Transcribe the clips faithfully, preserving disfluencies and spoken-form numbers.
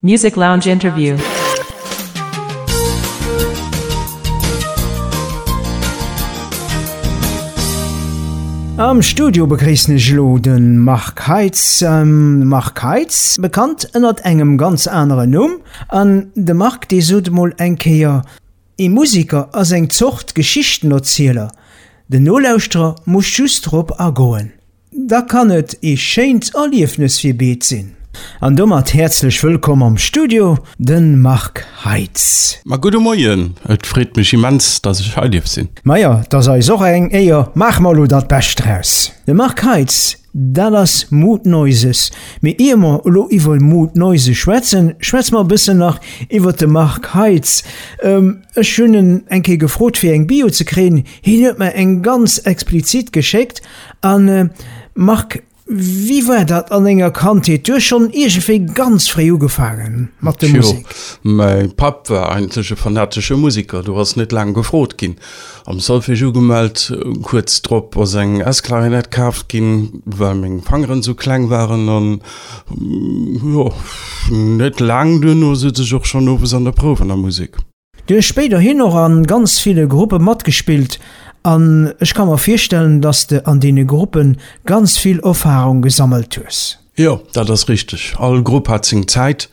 Music Lounge Interview. Am Studio begréissen ech elo de Marc Heitz. Marc Heitz, bekannt ënnert engem ganz aneren Numm. An de Marc, dee sot emol eng Kéier, Ee Museker ass eng Zort Geschichtenerzieler, den Nolauschterer muss just drop agoen. Da kann et ee schéint Erliefnes fir beed sinn. An domat häerzlech wëllkomm am Studio, de Marc Heitz. Ma gudde Moien, et freet mech immens, dass ech hei dierf sinn. Majo, 't ass eis och eng Éier, maache mer elo dat Bescht draus. De Marc Heitz, dat ass Mood Noises. Mee ier mer elo iwwer Mood Noises schwätzen, schwätze mer e bëssen nach iwwer de Marc Heitz. Ech hunn en eng Kéier gefrot fir eng Bio ze kréien, hien huet mer eng ganz explizit geschéckt. An Marc, wéi war dat an denger Kandheet? Du hues schonn iergendwéi ganz fréi ugefaange mat der Musek. Tjo, mäi Papp war eigentlech e fanatesche Museker, do ass net laang gefrot ginn. Am Solfège ugemellt, kuerz drop ass eng S-Klarinett kaaft ginn, well meng Fangeren esou kleng waren an jo, net laang duerno sot ech och schonn owes an der Prouf an der Musek. Du hues spéiderhin och a ganz ville Gruppe matgespillt an ech ka mer virstellen, dass de an deene Gruppe ganz vill Erfarung gesammelt hues. Jo, dat ass richteg. All Grupp hat seng Zäit,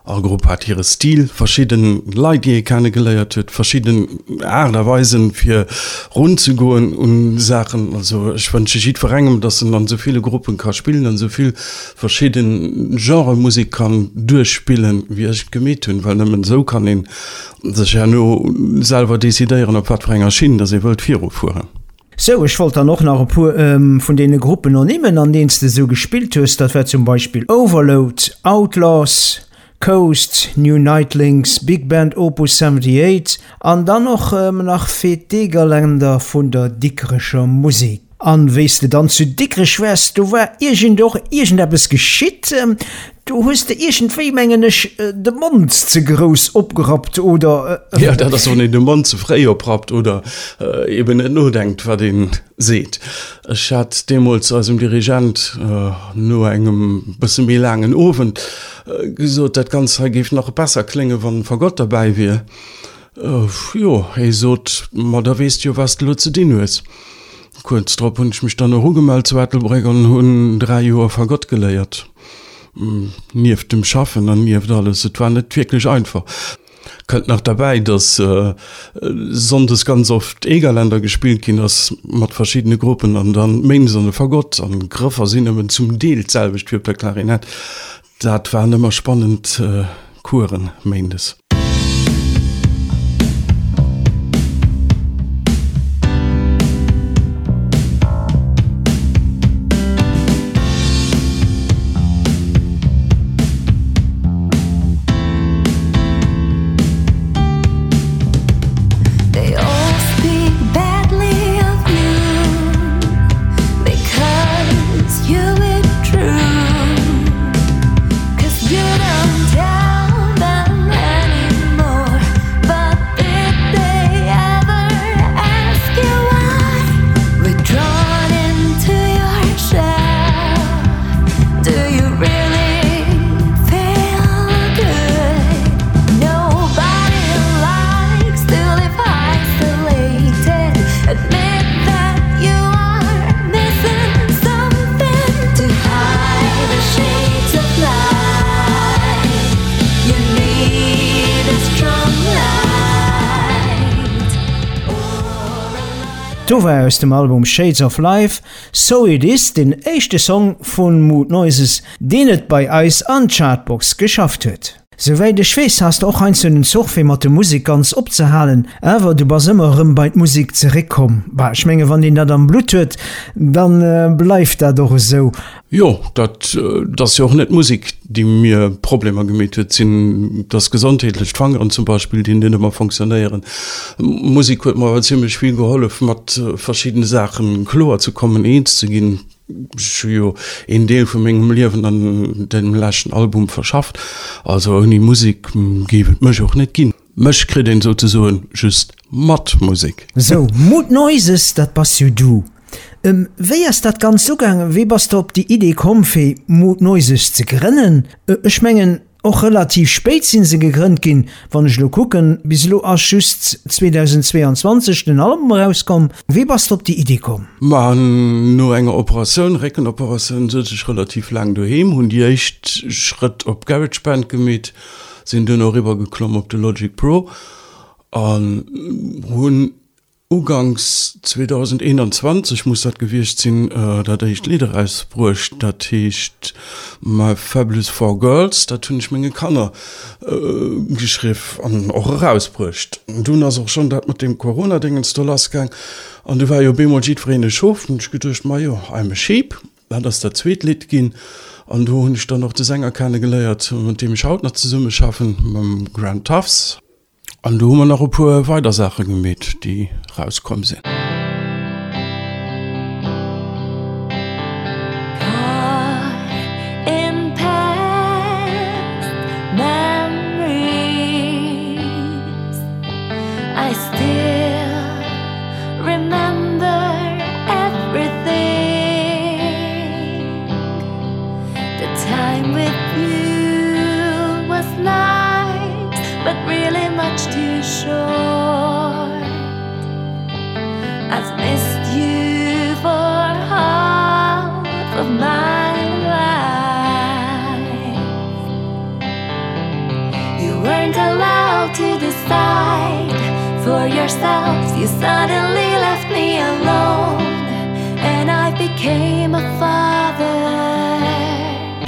all Grupp hat hire Stil, verschidde Leit, déi ee kenne geléiert huet, verschidden Aart a Weisen, fir runzegoen un Saachen. Also ech wënsche jiddwerengem, dass en an esou ville Gruppen ka spillen an esou vill verschidden Genrë Musek kann duerchspillen, wéi ech et gemeet hunn, well nëmmen esou kann een sech herno selwer decidéieren, op wat fir enger Schinn dass ee wëllt virufueren. Sou, ech wollt dann och nach e puer vun deene Gruppen ernimmen, an deenen s de esou gespillt hues. Dat war zum Beispill Overload, Outlaws, Coast, New Nightlings, Big Band Opus seventy-eight an dann och nach Fête d'Egerländer vun der Dikrecher Musek. An wéi s de dann zu Dikrech waars, do war iergend och iergendeppes geschitt. Do hues de iergendwéi, mengen ech, de Mond ze grouss opgerappt, oder? Jo, dat ass, wann een de Mond ze fréi oprappt oder eben net nodenkt, wat ee seet. Ech hat deemools eisem Dirigent no engem bësse méi laangen Owend gesot, dat Ganzt hei géif nach besser kléngen, wann Fagott derbäi wier. Jo, hie sot, ma da weess de jo, wat s de elo ze dinn hues. Kuerz drop hunn ech mech dann och ugemellt zu Ettelbréck an hunn dräi Joer Fagott geléiert, nieft dem Schaffen an nieft alles. Et war net wierklech einfach. Kënnt nach derbäi, dass sonndes ganz oft Egerländer gespillt ginn ass mat verschiddene Gruppen an dann méindes an de Fagott an d'Grëffer sinn nëmmen zum Deel d'selwecht wéi op der Klarinett. Dat waren ëmmer spannend Coursen méindes. Do war aus dem Album Shades of Life, So It Is, den éischte Song vu Mood Noises, deen et bei eis an d'Chartbox geschafft huet. Souwäit ech weess, has de och heiansdo den Zoch fir mat der Musek ganz opzehalen, awer du bass ëmmer erëm bei d'Musek zeréckkomm. Bah, ech menge wann een dat am Blutt huet, da bleift dat och esou. Jo, dat ass jo och net d'Musek, déi mir Problemer gemeet huet, sinn dass gesondheetlech, d'Fangeren zum Beispill, déi net ëmmer fonctionnéieren. D'Musek huet mer awer zimlech vill gehollef, mat verschiddene Saache kloer ze kommen, eens ze ginn. Ech hu jo een Deel vu mengem Liewen an deem leschten Album verschafft, also ouni Musek géif et mech och net ginn. Mech kritt een souzesoen just mat Musek. Sou, Mood Noises, dat bass jo du. Wéi ass dat Ganzt ugaangen? Wéi bass de op déi Idee komm fir Mood Noises ze grënnen? Ech mengen, Och relativ spéit sinn se gegrënnt ginn, wann ech lo kucken, bis elo ass just zweedausendzweeanzwanzeg den Album erauskomm. Wéi bass de op déi Iddi komm? Ma no enger Operatioun, Réckenoperatioun, souz ech relativ laang doheem, hunn déi éischt Schrëtt op GarageBand gemeet, sinn duerno eriwwer geklomm op de Logic Pro an hunn Uganks zweedausendeenanzwanzeg muss dat gewiescht sinn, dat éischt Lidd erausbruecht. Dat heescht My Fabulous Four Girls. Dat hunn ech menge Kanner geschriff an och erausbruecht. Dunn ass och schonn dat mat deem Corona-Dingens do lassgaang an du war jo op eemol jiddwereen e Schof. Hunn ech geduecht, majo, I'm a sheep, dat ass dat zweet Lidd ginn. An do hunn ech dann och de Sänger kennegeléiert, mat deem ech haut nach zesummeschaffen, mam Grant Tuffs. An do hu mer nach e puer weider Saache gemeet, déi rauskomm sinn.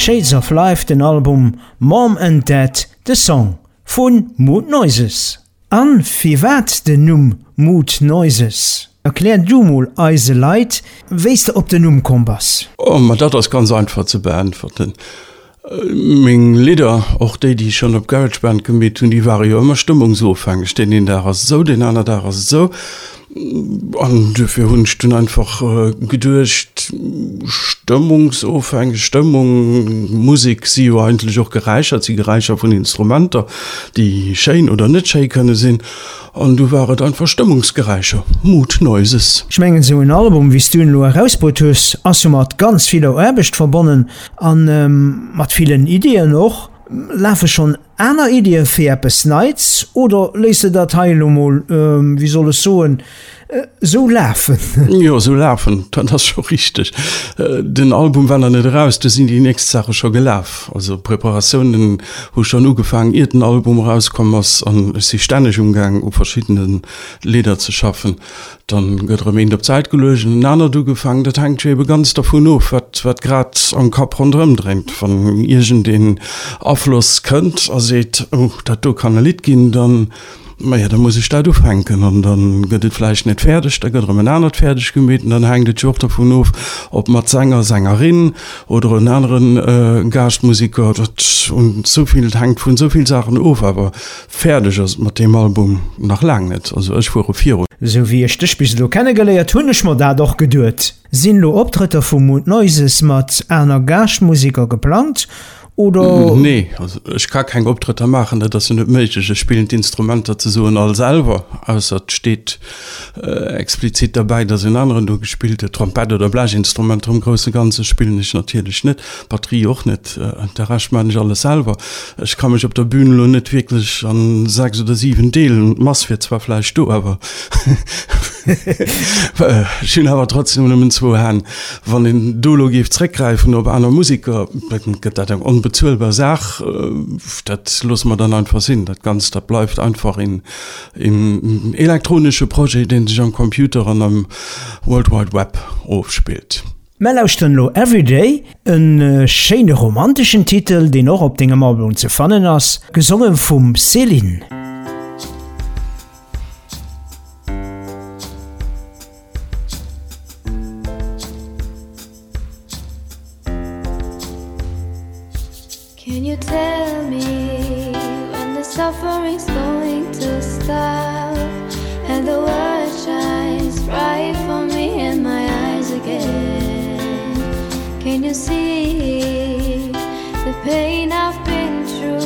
Shades of Life den Album, Mom and Dad de Song vu Mood Noises. An firwat den Numm Mood Noises? Erklär du mol eise Leit, wéi s de op den Numm komm bass. Oh, ma dat ass ganz einfach ze beäntwerten. Meng Lidder, och déi, déi ech schonn op GarageBand gemeet hunn, déi ware jo ëmmer stëmmungsofhängeg. Deen een Dag ass et esou, deen aner Dag ass et esou. An duerfir hunn ech dunn einfach geduecht, stëmmungsofhängeg, Stëmmung, Musek si jo eigentlech och Geräischer, et si Geräischer vun Instrumenter, déi schéin oder net schéi kënne sinn. An du war et einfach Stëmmungsgeräischer, Mood Noises. Ech mengen esou en Album wéi s du en elo erausbruet hues, ass jo mat ganz viller Aarbecht verbonnen an mat villen Iddien och. Lafe schonn aner Iddie fir eppes Neits oder léiss de dat hei elo mol, wéi soll ech soen, esou lafen? Jo, esou lafen, dat ass scho richteg. Den Album war nach net eraus, du sinn déi nächst Saache scho gelaf. Also d'Preparatiounen hu schonn ugefaangen, iert den Album erauskomm ass an ech si stänneg umgaang u verschiddene Lidder ze schaffen. Dann gëtt erëm eent op d'Säit geluecht an en anert ugefaangen. Dat hänkt jo ebe ganz dervun of, wat, wat grad am Kapp ronderëm dréint. Wann iergendeen Afloss kënnt a seet, oh, dat do kann e Lidd ginn, dann, maja, da muss ech dat ufänken. An da gëtt et vläicht net fäerdeg, da gëtt erëm en anert fäerdeg gemeet. An dann hänkt et jo och dervun of, ob mat Sänger, Sängerin oder en anere Gaaschtmusiker. Dat un esou vill, hänkt vun esou vill Saachen of. Awer Fäerdeg ass et mat deem Album nach laang net, also ech fuere virun. Sou wéi ech dech bis elo kennegeléiert hunn ech mer dat och geduet. Sinn lo Optrëtter vu Mood Noises mat aner Gaaschtmuseker geplangt oder? Nee, also ech ka keng Optrëtter maachen, dat ass jo net méiglech. Ech spillen d'Instrumenter ze soen all selwer, ausser et steet explizit derbäi, dass en aneren do gespillt huet. Trompett oder Blechinstrumenter am grousse Ganze spillen ech natierlech net. Batterie och net, de Rescht maan ech alles selwer. Ech ka mech op der Bühn elo net wierklech an sechs oder siwen deelen. D'Mass wier zwar vläicht do, awer ech hunn awer trotzdem nëmmen zwou Hänn. Wann een do elo géif zréckgräifen op aner Museker, da gëtt dat eng onbezuelbar Saach. Dat loosse mer dann einfach sinn. Dat Ganzt, dat bleift einfach een elektronesche Projet, dee sech am Computer an am World Wide Web ofspillt. Mär lauschteren elo Everyday, e schéine romanteschen Titel, deen och op dengem Album ze fannen ass, gesonge vum Céline. Can you tell me when the suffering's going to stop and the world shines bright for me in my eyes again? Can you see the pain I've been through?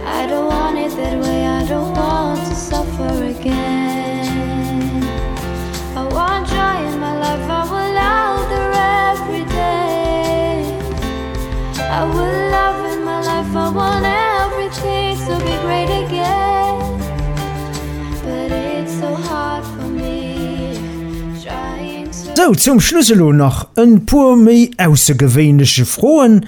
I don't want Sou, zum Schluss elo nach en puer méi aussergewéinleche Froen.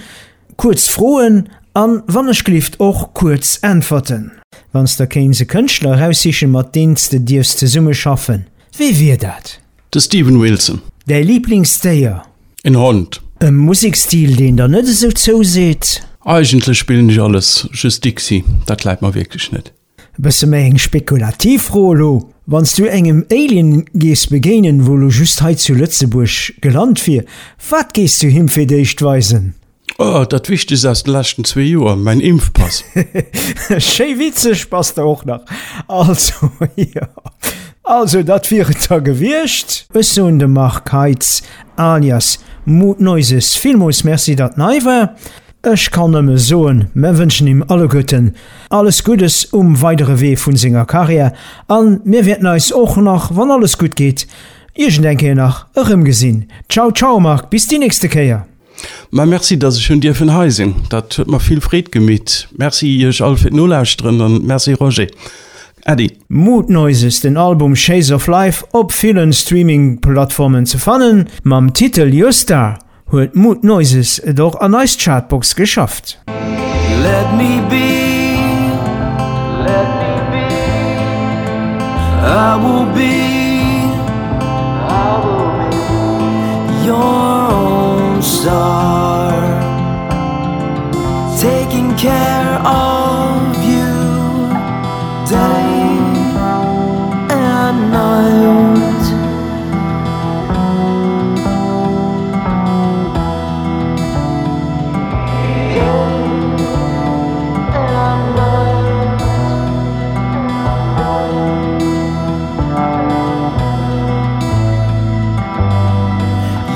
Kuerz Froen an wann ech gelift och kuerz Äntwerten. Wann s de kéints e Kënschtler eraussichen, mat deem s de dierfs zesummeschaffen, wie wier dat? De Steven Wilson. Däi Liblingsdéier? En Hond. E Musekstil, deen der net esou zouseet? Eigentlech spillen ech alles, just Dixie, dat läit mer wierklech net. E bësse méi eng spekulativ Fro elo, Wann s du engem Alien géifs begéinen, wou elo just hei zu Lëtzebuerg gelant wier, wat géifs du him fir d'éischt weisen? Oh, dat Wichtegst aus de leschten zwee Joer, mäin Impfpass. Schéi witzeg bass de och nach. Also, jo. Also, dat wier et da gewiescht. Ech soen dem Marc Heitz alias Mood Noises villmools Merci, datt en hei war. Ech kann nëmme soen, mer wënschen him alleguerten alles Guddes um weidere Wee vun senger Karriär an mir wäerten eis och nach, wann alles gutt geet, iergend eng Kéier nach erëmgesinn. Ciao ciao Marc, bis déi nächste Kéier. Ma merci, dass ech hunn dierfen hei sinn. Dat huet mer vill Freed gemeet. Merci iech all fir d'Nolauschteren an merci Roger. Äddi. Mood Noises, den Album Shades of Life op villen Streaming-Plattformen ze fannen. Mam Titel Your Star huet Mood Noises et och an eis Chartbox geschafft. Let me be, let me be, I will be, I will be your own star, taking care of you day and night.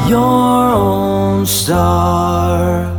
Your own star.